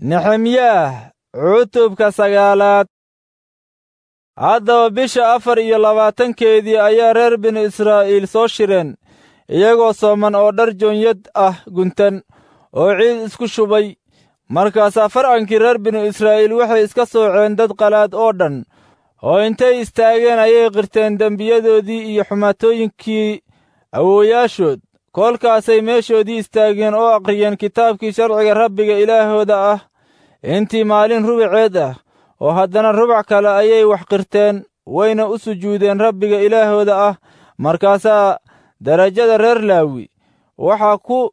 Nexemyaah cutubka 9aad. Haddaba bisha 24-keedii ayaa reer binu Israa'iil soo shireen, iyagoo sooman oo dhar joonyad ah guntan oo ciid isku shubay. Markaasaa farcankii reer binu Israa'iil waxay iska sooceen dad qalaad oo dhan, oo intay istaageen ayay qirteen dembiyadoodii iyo xumaatooyinkii awoowayaashood. Kolkaasay meeshoodii istaageen oo akhriyeen kitaabkii sharciga Rabbiga Ilaahooda ah intii maalin rubaceed ah, oo haddana rubac kale ayay wax qirteen, wayna u sujuudeen Rabbiga Ilaahooda ah. Markaasaa darajada reer Laawi waxaa ku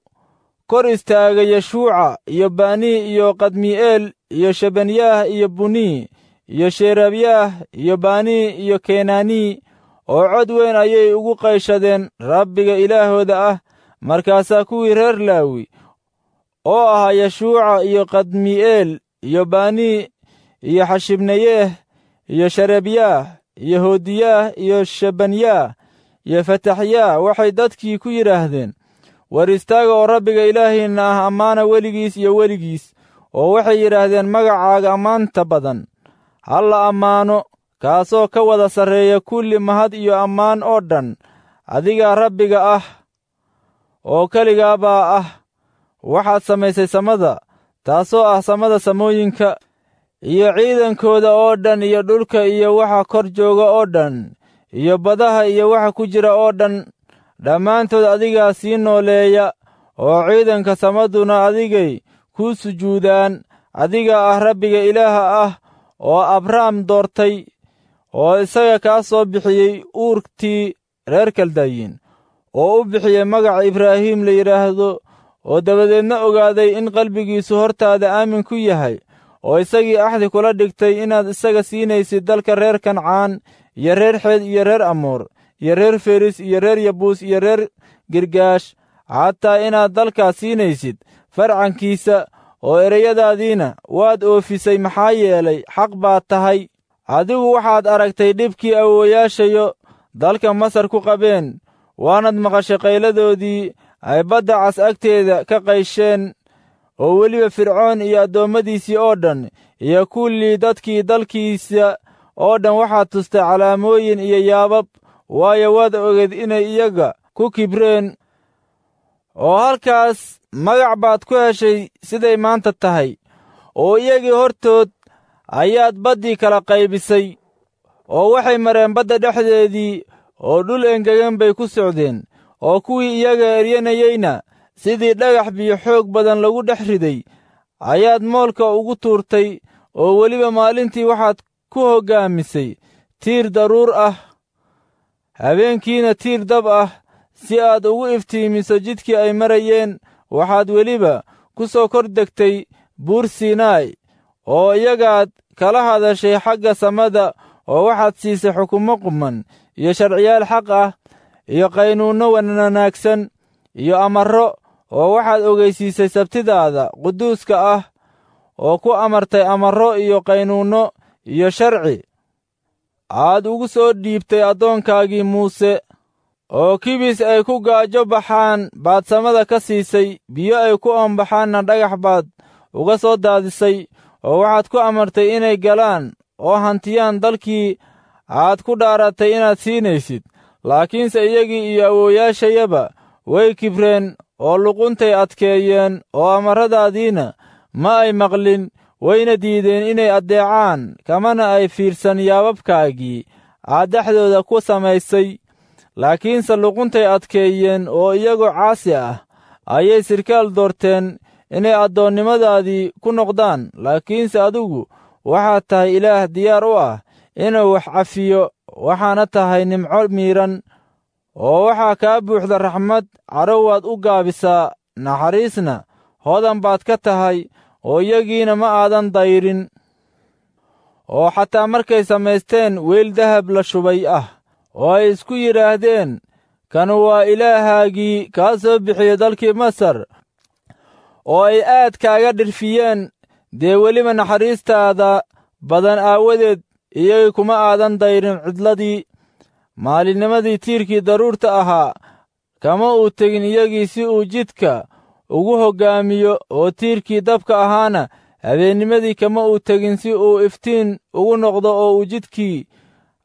kor istaagay Yeshuuca iyo Banii iyo Qadmi'eel iyo Shebanyaah iyo Bunii iyo Sherebyaah iyo Banii iyo Kenaanii, oo cod weyn ayay ugu qayshadeen Rabbiga Ilaahooda ah. Markaasaa kuwii reer Laawi oo ahaa Yeshuuca iyo Qadmi'eel iyo Banii iyo Xashibneyeeh iyo Sherebyaah iyo Hodiyaah iyo Shebanyaah iyo Fataxyaah waxay dadkii ku yidhaahdeen, war istaaga oo Rabbiga Ilaahiinna ah ammaana weligiis iyo weligiis. Oo waxay yidhaahdeen, magacaaga ammaanta badan ha la ammaano, kaasoo ka wada sarreeya kulli mahad iyo ammaan oo dhan. Adigaa Rabbiga ah oo keligaa baa ah. Waxaad samaysay samada, taasoo ah samada samooyinka, iyo ciidankooda oo dhan, iyo dhulka iyo waxa kor jooga oo dhan, iyo badaha iyo waxa ku jira oo dhan. Dhammaantood adigaa sii nooleeya, oo ciidanka samaduna adigay kuu sujuudaan. Adigaa ah Rabbiga Ilaaha ah oo Abrahm doortay, oo isaga kaa soo bixiyey uurtii reer Kaldayin, oo u bixiyey magaca Ibraahim la yidhaahdo, oo dabadeedna ogaaday in qalbigiisu hortaada aamin ku yahay, oo isagii axdi kula dhigtay inaad isaga siinaysid dalka reer Kancaan iyo reer Xeed iyo reer Amoor iyo reer Feris iyo reer Yabuus iyo reer Girgaash, xataa inaad dalkaas siinaysid farcankiisa. Oo ereyadaadiina waad oofisay, maxaa yeelay xaq baad tahay. Adigu waxaad aragtay dhibkii awoowayaashayo dalka Masar ku qabeen, waanaad maqashay qayladoodii ay badda cas agteeda ka qaysheen, oo weliba Fircoon iyo addoommadiisii oo dhan iyo kullii dadkii dalkiisa oo dhan waxaad tustay calaamooyin iyo yaabab, waayo waad ogeed inay iyaga ku kibreen. Oo halkaas magac baad ku heshay siday maanta tahay, oo iyagii hortood ayaad baddii kala qaybisay, oo waxay mareen badda dhexdeedii, oo dhul engegan bay ku socdeen, oo kuwii iyaga eryanayeyna sidii dhagax biyo xoog badan lagu dhex riday ayaad moolka ugu tuurtay. Oo weliba maalintii waxaad ku hoggaamisay tiir daruur ah, habeenkiina tiir dab ah, si aad ugu iftiimiso jidkii ay marayeen. Waxaad weliba ku soo kor degtay buur Siinaay, oo iyagaad kala hadashay xagga samada, oo waxaad siisay xukumo quman iyo sharciyaal xaq ah iyo qaynuunno wanaagsan iyo amarro, oo waxaad ogeysiisay sabtidaada quduuska ah, oo ku amartay amarro iyo qaynuunno iyo sharci aad ugu soo dhiibtay addoonkaagii Muuse. Oo kibis ay ku gaajo baxaan baad samada ka siisay, biyo ay ku oombaxaanna dhagax baad uga soo daadisay, oo waxaad ku amartay inay galaan oo hantiyaan dalkii aad ku dhaaratay inaad siinaysid. Laakiinse iyagii iyo awoowayaashayaba way kibreen oo luquntay adkeeyeen, oo amarradaadiina ma ay maqlin, wayna diideen inay addeecaan, kamana ay fiirsan yaababkaagii aad dhexdooda ku samaysay. Laakiinse luquntay adkeeyeen, oo iyagoo caasi ah ayay sirkaal doorteen inay addoonnimadaadii ku noqdaan. Laakiinse adigu waxaad tahay Ilaah diyaar u ah inuu wax cafiyo, waxaana tahay nimco miidhan, oo waxaa kaa buuxda raxmad. Cadho waad u gaabisaa, naxariisna hodan baad ka tahay, oo iyagiina ma aadan dayrin. Oo xataa markay samaysteen weyl dahab la shubay ah, oo ay isku yidhaahdeen, kanu waa Ilaahaagii kaa soo bixiyey dalkii Masar, oo ay aad kaaga dhirfiyeen, dee weliba naxariistaada badan aawadeed iyagii kuma aadan dayrin cidladii. Maalinnimadii tiirkii daruurta ahaa kama uu tegin iyagii si uu jidka ugu hoggaamiyo, oo tiirkii dabka ahaana Habeennimadii kama uu tegin si uu iftiin ugu noqdo oo uu jidkii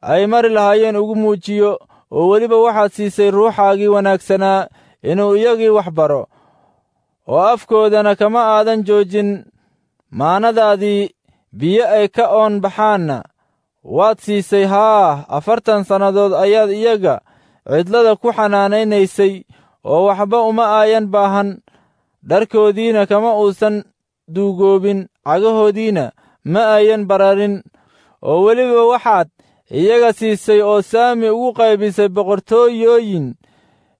ay mari lahaayeen ugu muujiyo. Oo weliba waxaad siisay ruuxaagii wanaagsanaa inuu iyagii wax baro, oo afkoodana kama aadan joojin maanadaadii. Biyo ay ka oon baxaanna waad siisay. Haa, 40 sannadood ayaad iyaga cidlada ku xanaanaynaysay, oo waxba uma aayan baahan. Dharkoodiina kama uusan duugoobin, cagahoodiina ma ayan bararin. Oo weliba waxaad iyaga siisay oo saami ugu qaybisay boqortooyooyin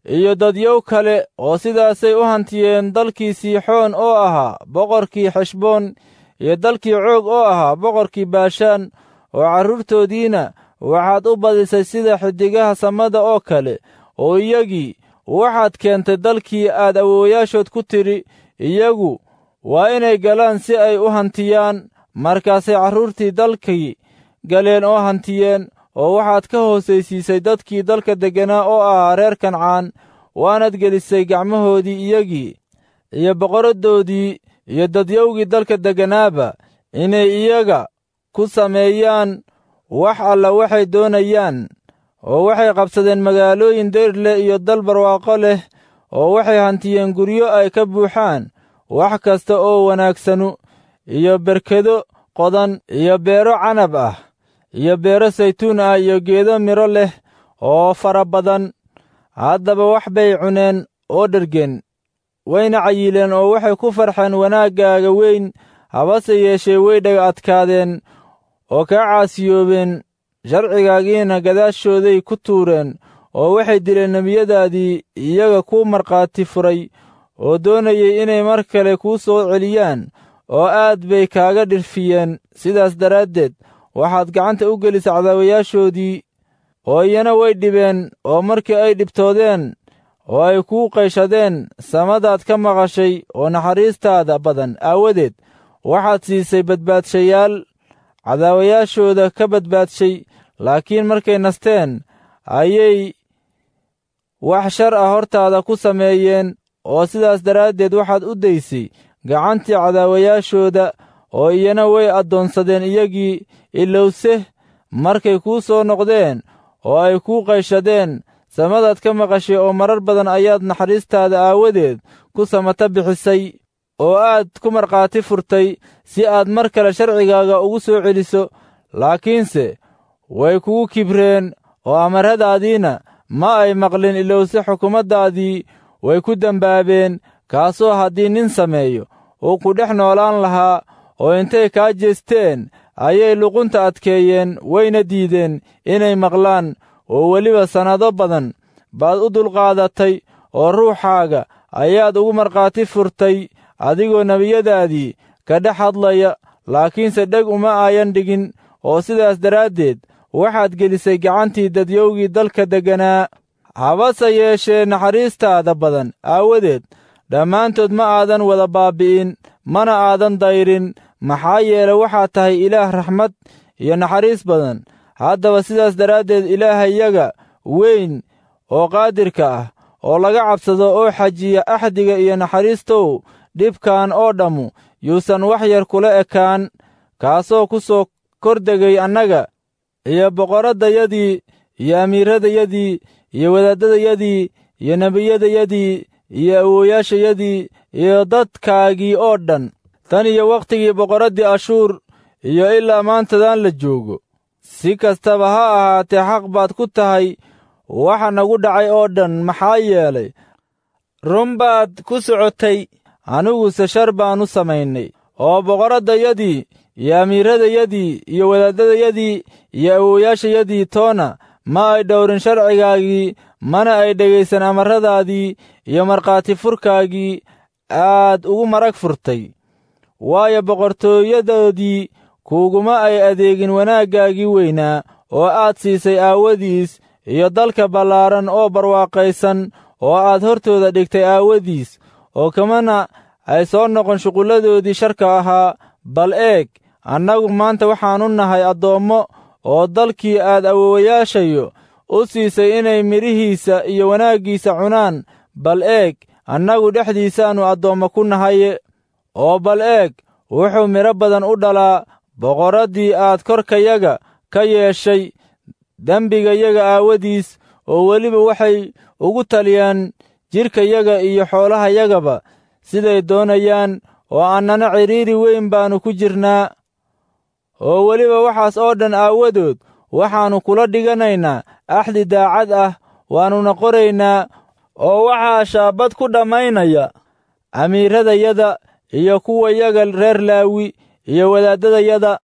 iyo dadyow kale, oo sidaasay u hantiyeen dalkii Siixoon oo ahaa boqorkii Xeshboon, iyo dalkii Coog oo ahaa boqorkii Baashaan. Oo carruurtoodiina waxaad u badisay sida xiddigaha samada oo kale, oo iyagii waxaad keentay dalkii aad awoowayaashood ku tidhi, iyagu waa inay galaan si ay u hantiyaan. Markaasay carruurtii dalkii galeen oo hantiyeen. Oo waxaad ka hoosaysiisay dadkii dalka degganaa oo ahaa reer Kancaan, waanaad gelisay gacmahoodii iyagii iyo boqoraddoodii iyo dadyowgii dalka degganaaba inay iyaga ku sameeyaan wax alla waxay doonayaan. Oo waxay qabsadeen magaalooyin deyr leh iyo dal barwaaqo leh, oo waxay hantiyeen guryo ay ka buuxaan wax kasta oo wanaagsanu, iyo berkedo qodan, iyo beero canab ah, iyo beero saytuun ah, iyo geedo midho leh oo fara badan. Haddaba wax bay cuneen oo dhergeen, wayna cayileen, oo waxay ku farxeen wanaaggaaga weyn. Habase yeeshee way dhaga adkaadeen oo kaa caasiyoobeen, sharcigaagiina gadaashooday ku tuureen, oo waxay dileen nebiyadaadii iyaga kuu markhaati furay oo doonayay inay mar kale kuu soo celiyaan, oo aad bay kaaga dhirfiyeen. Sidaas daraaddeed waxaad gacanta u gelisay cadaawayaashoodii, oo iyana way dhibeen. Oo markii ay dhibtoodeen oo ay kuu qayshadeen, samadaad ka maqashay, oo naxariistaada badan aawadeed waxaad siisay badbaadshayaal cadaawayaashooda ka badbaadshay. Laakiin markay nasteen ayay wax shar ah hortaada ku sameeyeen, oo sidaas daraaddeed waxaad u daysay gacantii cadaawayaashooda, oo iyana way addoonsadeen iyagii. Ilowse markay kuu soo noqdeen oo ay kuu qayshadeen, samadaad ka maqashay, oo marar badan ayaad naxariistaada aawadeed ku samata bixisay, oo aad ku markhaati furtay si aad mar kale sharcigaaga ugu soo celiso. Laakiinse way kugu kibreen, oo amarradaadiina ma ay maqlin. Ilowse xukumaddaadii way ku dembaabeen, kaasoo haddii nin sameeyo uu ku dhex noolaan lahaa. Oo intay kaa jeesteen ayay luqunta adkeeyeen, wayna diideen inay maqlaan. Oo weliba sannado badan baad u dulqaadatay, oo ruuxaaga ayaad ugu markhaati furtay adigoo nebiyadaadii ka dhex hadlaya, laakiinse dheg uma aayan dhigin. Oo sidaas daraaddeed waxaad gelisay gacantii dadyowgii dalka degganaa. Habase yeeshee naxariistaada badan aawadeed dhammaantood ma aadan wada baabbi'in, mana aadan dayrin, maxaa yeele waxaad tahay Ilaah raxmad iyo naxariis badan. Haddaba sidaas daraaddeed Ilaahayaga weyn oo qaadirka ah oo laga cabsado oo xajiya axdiga iyo naxariistow, dhibkan oo dhammu yuusan wax yar kula ekaan, kaasoo ku soo kordegay annaga iyo boqorraddayadii iyo amiirradayadii iyo wadaaddadayadii iyo nebiyadayadii iyo awoowayaashayadii iyo dadkaagii oo dhan, tan iyo wakhtigii boqorraddii Ashuur iyo ilaa maantadan la joogo. Si kastaba ha ahaatee xaq baad ku tahay waxa nagu dhacay oo dhan, maxaa yeelay run baad ku socotay, aniguse shar baannu samaynay. Oo boqorraddayadii iyo amiirradayadii iyo wadaaddadayadii iyo awoowayaashayadii toona ma ay dhowrin sharcigaagii, mana ay dhegaysan amarradaadii iyo markhaati furkaagii aad ugu marag furtay. Waayo, boqortooyadoodii kuuguma ay adeegin wanaaggaagii weynaa oo aad siisay aawadiis, iyo dalka ballaaran oo barwaaqaysan oo aad hortooda dhigtay aawadiis, oo kamana ay soo noqon shuqulladoodii sharka ahaa. Bal eeg, annagu maanta waxaannu nahay addoommo, oo dalkii aad awoowayaashayo u siisay inay midhihiisa iyo wanaaggiisa cunaan, bal eeg, annagu dhexdiisaannu addoommo ku nahaye. Oo bal eeg, Wuxuu midho badan u dhalaa boqorraddii aad korkayaga ka yeeshay dembigayaga aawadiis, oo weliba waxay ugu taliyaan jidhkayaga iyo xoolahayagaba siday doonayaan, oo annana cidhiidhi weyn baannu ku jirnaa. Oo weliba waxaas oo dhan aawadood waxaannu kula dhiganaynaa axdi daacad ah, waannuna qoraynaa, oo waxaa shaabad ku dhammaynaya amiiradayada iyo kuwayaga reer Laawi iyo wadaaddadayada.